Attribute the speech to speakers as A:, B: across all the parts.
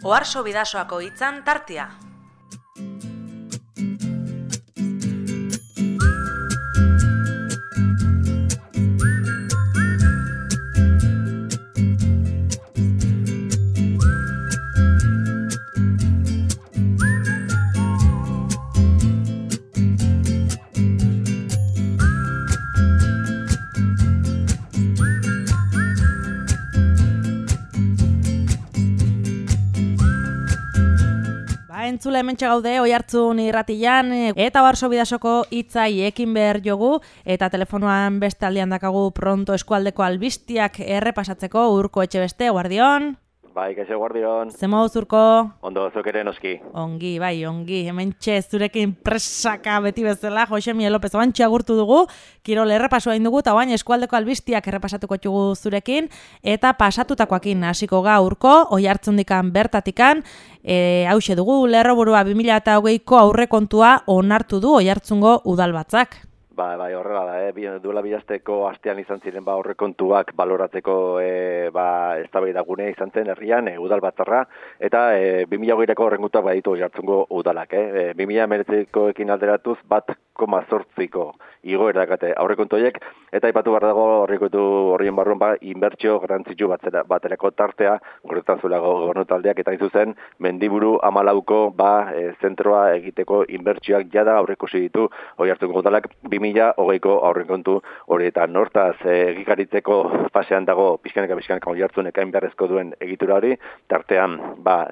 A: Oharso Bidasoako hitzan tartea. Entzule hementxe gaude Oihartzun irratian eta Oharso Bidasoko hitzai ekin behar jogu eta telefonoan beste aldian dakagu pronto eskualdeko albistiak errepasatzeko Urko Etxebeste, guardion.
B: Bai, kaixo guardion.
A: Zemo Urko?
B: Ondo, zuk ere noski.
A: Ongi, bai, ongi. Hementxe zurekin presaka beti bezala, Josemi López bantxe agurtu dugu, kirol errepasua dugu, eta bain eskualdeko albistiak errepasatuko txugu zurekin, eta pasatutakoakin hasiko ga Urko, Oihartzundikan bertatikan, hauxe dugu, lerroburua 2020ko aurrekontua onartu du Oihartzungo udalbatzak.
B: Bai, horrela da, duela bilasteko astean izan ziren aurrekontuak baloratzeko eztabaidagune izan zen herrian udalbatzarra eta 2020ko aurrekontuak baditu Oihartzungo udalak. 2019koekin alderatuz 1,8ko igoera dakate aurrekontu horiek eta aipatu behar dago aurrekontu horien barruan inbertsio garrantzitsu baterako tartea horretan zuela gobernu taldeak eta zuzen Mendiburu 14ko zentroa egiteko inbertsioak jada aurreikusi ditu Oihartzungo udalak 2020ko aurrekontu horietan. Hortaz egikaritzeko fasean dago pixkaneka Oihartzunek hain beharrezko duen egitura hori, tartean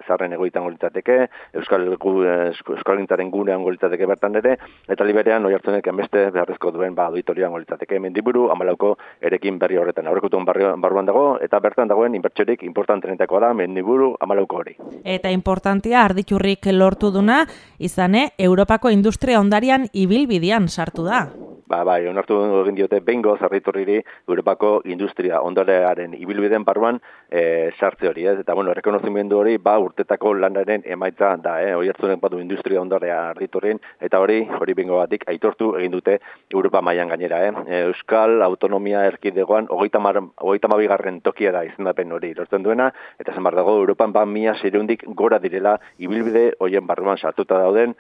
B: zaharren egoitan litzateke, Euskalgintzaren gunean litzateke bertan ere, eta liberean Oihartzunek beste beharrezko duen auditorian litzateke Mendiburu 14ko erekin berri horretan. Aurrekontuen barruan dago eta bertan dagoen inbertsiorik importantenetakoa da Mendiburu 14ko hori.
A: Eta importantia arditurrik lortu duna izane Europako industria ondarian ibilbidean sartu da.
B: Bai, onartu egin diote behingoz Arditurriri Europako industria ondarearen ibilbideen barruan sartze hori, eta errekonozimendu hori urtetako lanaren emaitza da, Oihartzunek badu industria ondarea Arditurrin, eta hori behingogatik aitortu egin dute Europa mailan gainera. Euskal Autonomia Erkidegoan 32. tokia da izendapen hori lortzen duena, eta zen dago Europan 1600 gora direla ibilbide horien barruan sartuta dauden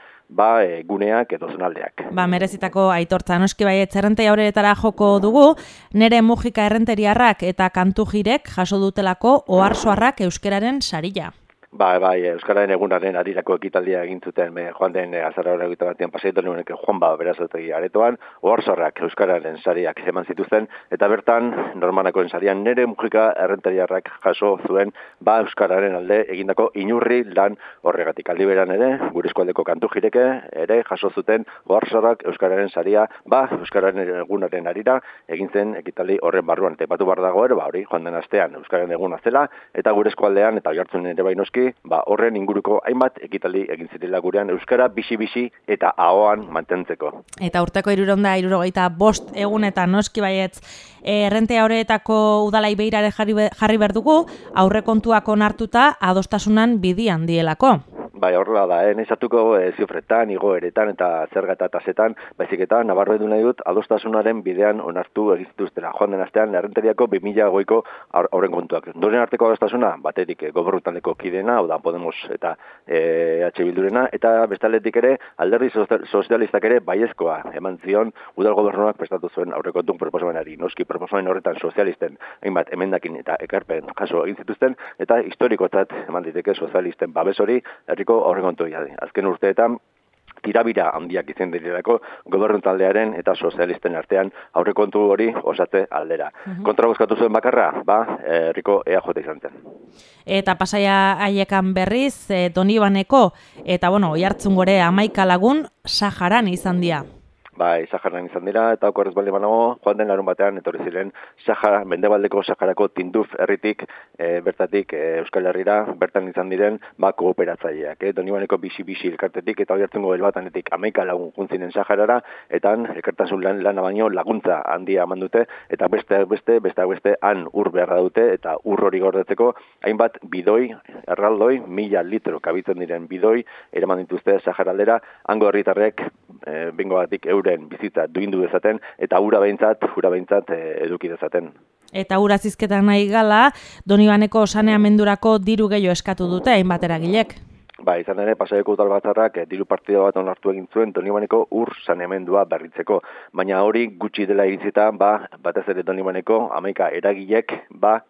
B: guneak edo zonaldeak.
A: Merezitako aitortza noski baietz errentei aurretara joko dugu, nere Mujika errenteriarrak eta Kantujirek jaso dutelako oharsoarrak euskeraren sarila.
B: Bai, Euskararen egunaren arirako ekitaldia egin zuten joan den azaroaren 21 pasaitu nuen Juan Berazotegi aretoan, oharsoarrak Euskararen sariak eman zituzten, eta bertan normanakoen sarian nere Mujika errentariarrak jaso zuen Euskararen alde egindako inurri lan horregatik. Aldi beran ere, gure eskualdeko Kantujireke ere jaso zuten oharsoarrak Euskararen saria Euskararen egunaren arira egin zen ekitaldi horren barruan. Eta batu bar dago ere, hori joan den astean Euskararen eguna zela, eta gure eskualdean eta Oihartzunen ere noski horren inguruko hainbat ekitaldi egin zirela gurean euskara bizi eta ahoan mantentzeko.
A: Eta urteko 365 egunetan noski baietz errentea horretako udalai behirare jarri behar dugu aurrekontuak onartuta adostasunan bidian dielako.
B: Bai, horrela da, nezatuko zifretan, igoeretan eta zerga eta tasetan, baizik eta nabarbedu nahi dut adostasunaren bidean onartu egizituztera. Joan den astean, errenteriako 2020ko aurrekontuak. Doren arteko adostasuna, baterik gobernutaldeko kidena, hau da Podemos eta EH Bildurena, eta bestaletik ere, alderdi sozialistak ere baiezkoa eman zion udal gobernuak prestatu zuen aurrekontun proposamenari. Noski proposamen horretan sozialisten, hainbat emendakin eta ekarpen kaso egin zituzten, eta historikotzat eman diteke sozialisten babes hori herriko aurrekontu jadi. Azken urteetan tirabira handiak izan direlako gobernu taldearen eta sozialisten artean aurrekontu hori osatze aldera. Kontra bozkatu zuen bakarra, herriko EAJ izan zen.
A: Eta Pasaia haiekan berriz, Donibaneko eta Oihartzun gore 11 lagun Saharan izan dira.
B: Saharan izan dira, eta okorrez balde banago, joan den larun batean, etorri ziren Mendebaldeko Saharako Tinduf herritik, bertatik Euskal Herrira, bertan izan diren, kooperatzaileak. Donibaneko bisi elkartetik, eta Oihartzungo helbatanetik 11 lagun juntzinen Saharara, eta elkartasun lana baino laguntza handia eman dute, eta beste han ur beharra dute, eta ur hori gordetzeko, hainbat bidoi, erraldoi, 1000 litro kabitzen diren bidoi, eraman dituzte Saharaldera, hango herritarrek, bingogatik euren bizitza duindu dezaten, eta ura behintzat eduki dezaten.
A: Eta ura zizketan nahi gala, Donibaneko saneamendurako diru gehiago eskatu dute hainbat eragilek.
B: Ba, izan ere, Pasaiako udal batzarrak diru partida bat onartu egin zuen Donibaneko ur saneamendua berritzeko. Baina hori gutxi dela iritzita, batez ere Donibaneko 11 eragilek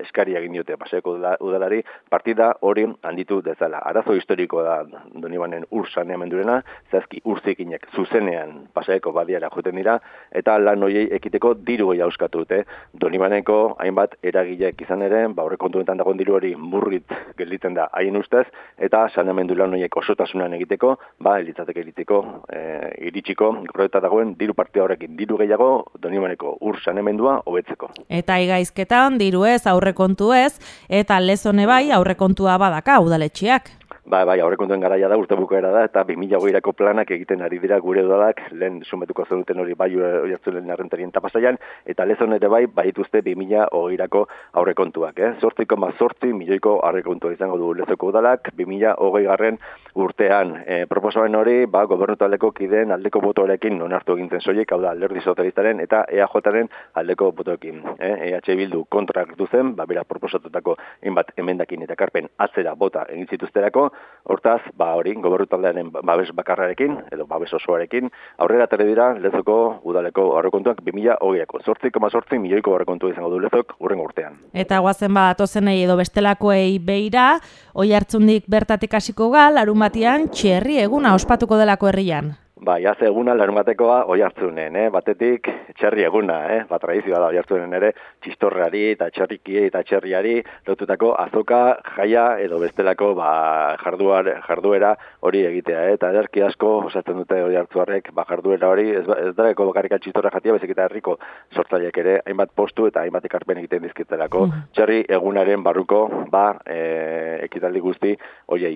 B: eskari egin diote Pasaiako udalari partida hori handitu dezala. Arazo historiko da Donibanen ur saneamendurena, zehazki urzikinek zuzenean Pasaiako badiara joten dira, eta lan horiei ekiteko diru gehiago eskatu dute. Donibaneko hainbat eragilek izan ere, aurrekontuetan dagoen diru hori murrit gelditzen da haien ustez, eta saneamendu lan horiek osotasunan egiteko, elitzateke iritsiko, proiekta dagoen diru partida horrekin, diru gehiago Donibaneko ur saneamendua hobetzeko.
A: Eta igaizketan diru ez, aurrekontu ez, eta lezone bai aurrekontua badaka udaletxeak.
B: Bai, aurrekontuen garaia da, urte bukaera da, eta 2020ko planak egiten ari dira gure udalak, lehen sumetuko zenuten hori bai Oiartzunen Errenterien eta Pasaian, eta lezon ere bai dituzte 2020ko aurrekontuak. 8,8 milioiko aurrekontua izango du lezoko udalak, 2020 urtean. Proposamen hori, gobernu taldeko kideen aldeko botoarekin onartu egintzen soilik, hau da, Alderdi Sozialistaren eta EAJaren aldeko botoekin. EH Bildu kontra hartu zen, bera proposatutako hainbat emendakin eta karpen atzera bota egin zituzterako. Hortaz, hori, gobernu taldearen babes bakarrarekin, edo babes osoarekin, aurrera tere dira lezoko udaleko aurrekontuak 2020ko. 8,8 milioiko aurrekontua izango du lezok hurrengo urtean.
A: Eta guazen atozenei edo bestelakoei beira, Oiartzundik bertatik hasiko larun batean txerri eguna ospatuko delako herrian.
B: Haze eguna larunbatekoa Oiartzunen, batetik txerri eguna, tradizioa da Oiartzunen ere, txistorrari eta txerriki eta txerriari lotutako azoka jaia edo bestelako jarduera hori egitea, eta ederki asko osatzen dute Oiartzuarrek jarduera hori, ez dareko bakarrik txistorra jatia, bezik eta herriko sortzaileek ere, hainbat postu eta hainbat ekarpen egiten dizkitelako. Txerri egunaren barruko, ekitaldi guzti,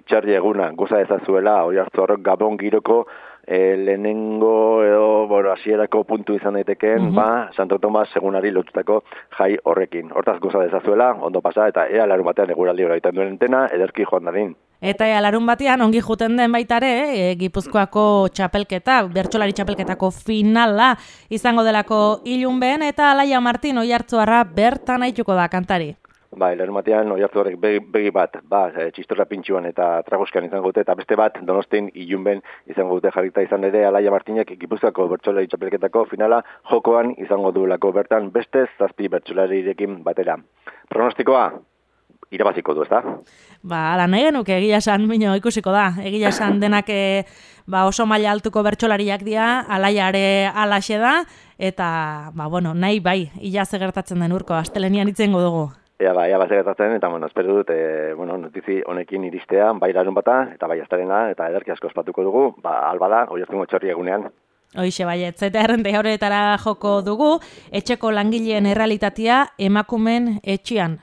B: txerri eguna goza ezazuela Oiartzuarrok Gabon giroko lehenengo edo hasierako puntu izan daitekeen, Santo Tomas egunari lotutako jai horrekin. Hortaz goza dezazuela, ondo pasa, eta ea larun batean eguraldi hori egiten duen entena, ederki joan dadin.
A: Eta larun batean ongi juten den baitare, Gipuzkoako txapelketa, bertsolari txapelketako finala izango delako ilunben, eta Alaia Martin Oiartzuarra bertan aituko da kantari.
B: Larun batean Oiartzuarrek begi bat, txistorra pintxuan eta tragoskan izango dute, eta beste bat Donostin ilunben izango dute jarrita izan ere Alaia Martinek Gipuzkoako bertsolari txapelketako finala jokoan izango duelako bertan beste 7 bertsolarirekin batera. Pronostikoa? Irabaziko du, ezta?
A: Ala nahi genuke egia esan, ikusiko da. Egia esan denak oso maila altuko bertsolariak dira, Alaiare alaxe da, eta nahi bai, ila ze gertatzen den urko, astelenian itzengo dugu.
B: Ea gertatzen, eta espero dut, notizi honekin iristea, bai larun bata, eta bai astelena, eta ederki asko ospatuko dugu, albada, Oiartzungo txorri egunean.
A: Hoixe baietz, eta errente horretara joko dugu, etxeko langileen errealitatea emakumen etxean.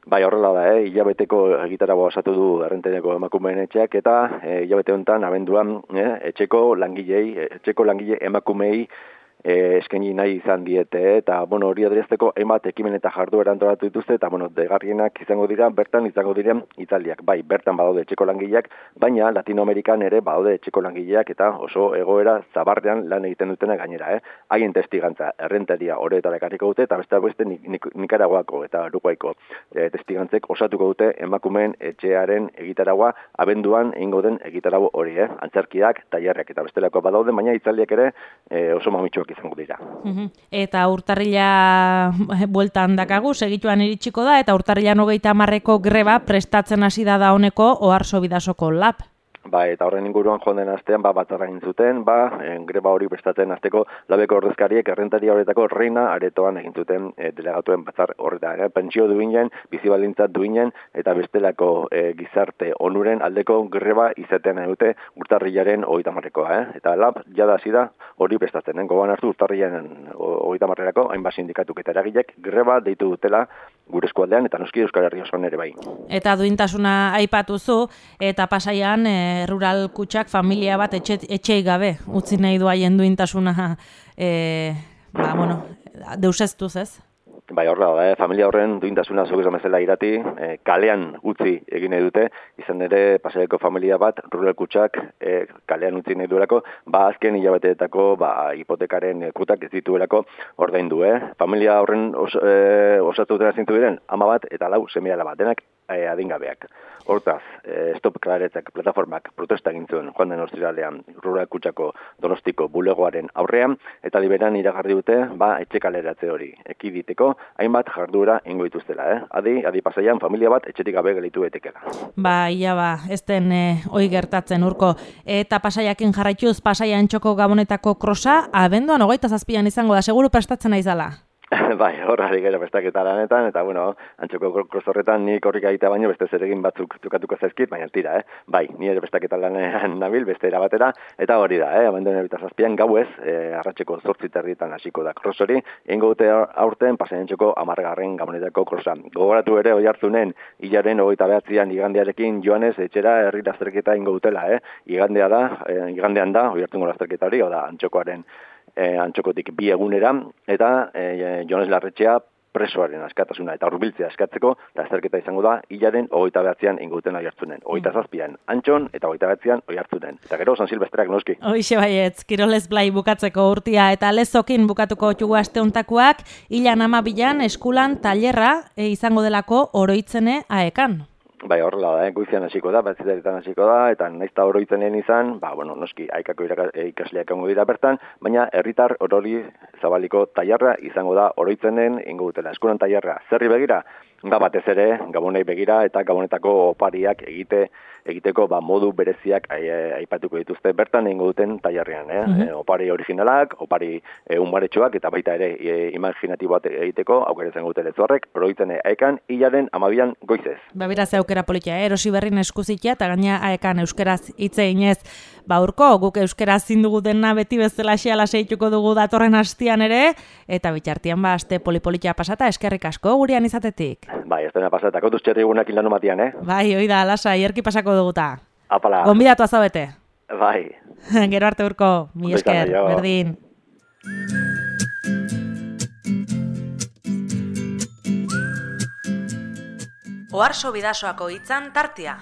B: Horrela da, hilabeteko egitaragoa osatu du errenteneko emakumeen etxeak, eta hilabete honetan abenduan etxeko langile emakumei eskaini nahi izan diete, eta hori adierazteko hainbat ekimen eta jarduera antolatu dituzte, eta degarrienak izango dira, bertan izango diren hitzaldiak. Bertan badaude etxeko langileak, baina Latinoamerikan ere badaude etxeko langileak, eta oso egoera zabarrean lan egiten dutena gainera. Haien testigantza errenteria horretara ekarriko dute, eta beste Nikaraguako eta Uruguaiko testigantzek osatuko dute emakumeen etxearen egitaragua abenduan egingo den egitarago hori, antzerkiak, tailerrak eta bestelako badaude, baina hitzaldiak ere oso mamitsuak izango dira.
A: Eta urtarrila bueltan dakagu, segituan iritsiko da, eta urtarrilan 30ko greba prestatzen hasi da honeko Oarso Bidasoko lab.
B: Eta horren inguruan joan den astean batzarra egin zuten, greba hori prestatzen hasteko labeko ordezkariek errentaria horretako reina aretoan egin zuten delegatuen batzar horretan. Pentsio duinen, bizibaldintza duinen eta bestelako gizarte onuren aldeko greba izaten dute urtarrilaren 30koa. Eta lab jada hasi da hori prestatzen. Gogoan hartu urtarrilaren 30erako hainbat sindikatuk eta eragilek greba deitu dutela gure eskualdean eta noski Euskal Herria osoan ere bai.
A: Eta duintasuna aipatuzu eta Pasaian rural kutxak familia bat etxei gabe utzi nahi du haien duintasuna deuseztuz, ez?
B: Bai, horrela da, familia horren duintasuna zuk esan bezala irati, kalean utzi egin nahi dute, izan ere Pasaiako familia bat, Rural Kutxak kalean utzi nahi duelako, azken hilabeteetako hipotekaren kutak ez dituelako ordaindu. Familia horren osatu dutena zintu diren, 10 bat eta 4 seme-alaba, denak adingabeak. Hortaz, Stop Klaretzak plataformak protesta egin zuen joan den ostiralean Rural Kutxako Donostiko bulegoaren aurrean, eta liberan iragarri dute etxe kaleratze hori ekiditeko hainbat jarduera ingo dituztela. Adi Pasaian familia bat etxetik gabe gelitu etekela.
A: Ez den hoi gertatzen urko. Eta Pasaiakin jarraituz Pasaia Antxoko Gabonetako krosa, abenduan 27an izango da, seguru prestatzen naizala.
B: Bai, horrari gero prestaketa lanetan, eta Antxoko kros horretan nik horrik egitea baino beste zeregin batzuk tukatuko zaizkit, baina tira, Bai, ni ere prestaketa lanean nabil, beste erabatera, eta hori da, abenduan 27an gauez, arratseko 8:30 hasiko da kros hori, egingo dute aurten Pasai Antxoko 10. Gabonetako krosa. Gogoratu ere Oiartzunen hilaren 29an igandearekin joanez etxera herri lasterketa egingo dutela, igandean da Oiartzungo lasterketa hori, da Antxokotik 2 egunera, eta Jones Larretxea presoaren askatasuna eta hurbiltzea eskatzeko lasterketa izango da hilaren 29an inguten Oiartzunen. 27an Antxon eta 29an Oiartzunen. Eta gero San Silvestreak noski.
A: Hoixe baietz, kirolez blai bukatzeko urtia eta lezokin bukatuko txugu aste hontakoak, hilan 12an eskulan tailerra izango delako oroitzene aekan.
B: Bai, horrela da, goizean hasiko da, batzideretan hasiko da, eta naizta oroitzenen izan, noski, aikako ikasleak egongo dira bertan, baina herritar orori zabaliko tailerra izango da oroitzenen ingo dutela. Eskulan tailerra zerri begira, batez ere, Gabonei begira eta Gabonetako opariak egiteko modu bereziak aipatuko dituzte bertan egingo duten tailerrean. Opari originalak, opari unbaretxoak eta baita ere imaginatiboak egiteko aukera izango dute lezoarrek, oroitzene aekan hilaren 12an goizez.
A: Beraz aukera politia, erosi berrin eskuzitia eta gaina aekan euskeraz hitz eginez. Urko, guk euskera zindugu dena beti bezala xeala seituko dugu datorren hastian ere, eta bitxartian aste polipolitia pasata eskerrik asko gurean izatetik.
B: Bai, ez dena pasata, kontuz txerri egunak ilano matian,
A: Bai, hoi da, lasa, hierki pasako duguta.
B: Apala.
A: Gonbidatu azabete.
B: Bai.
A: Gero arte urko, mi esker, berdin. Oarso Bidasoako hitzan tartea.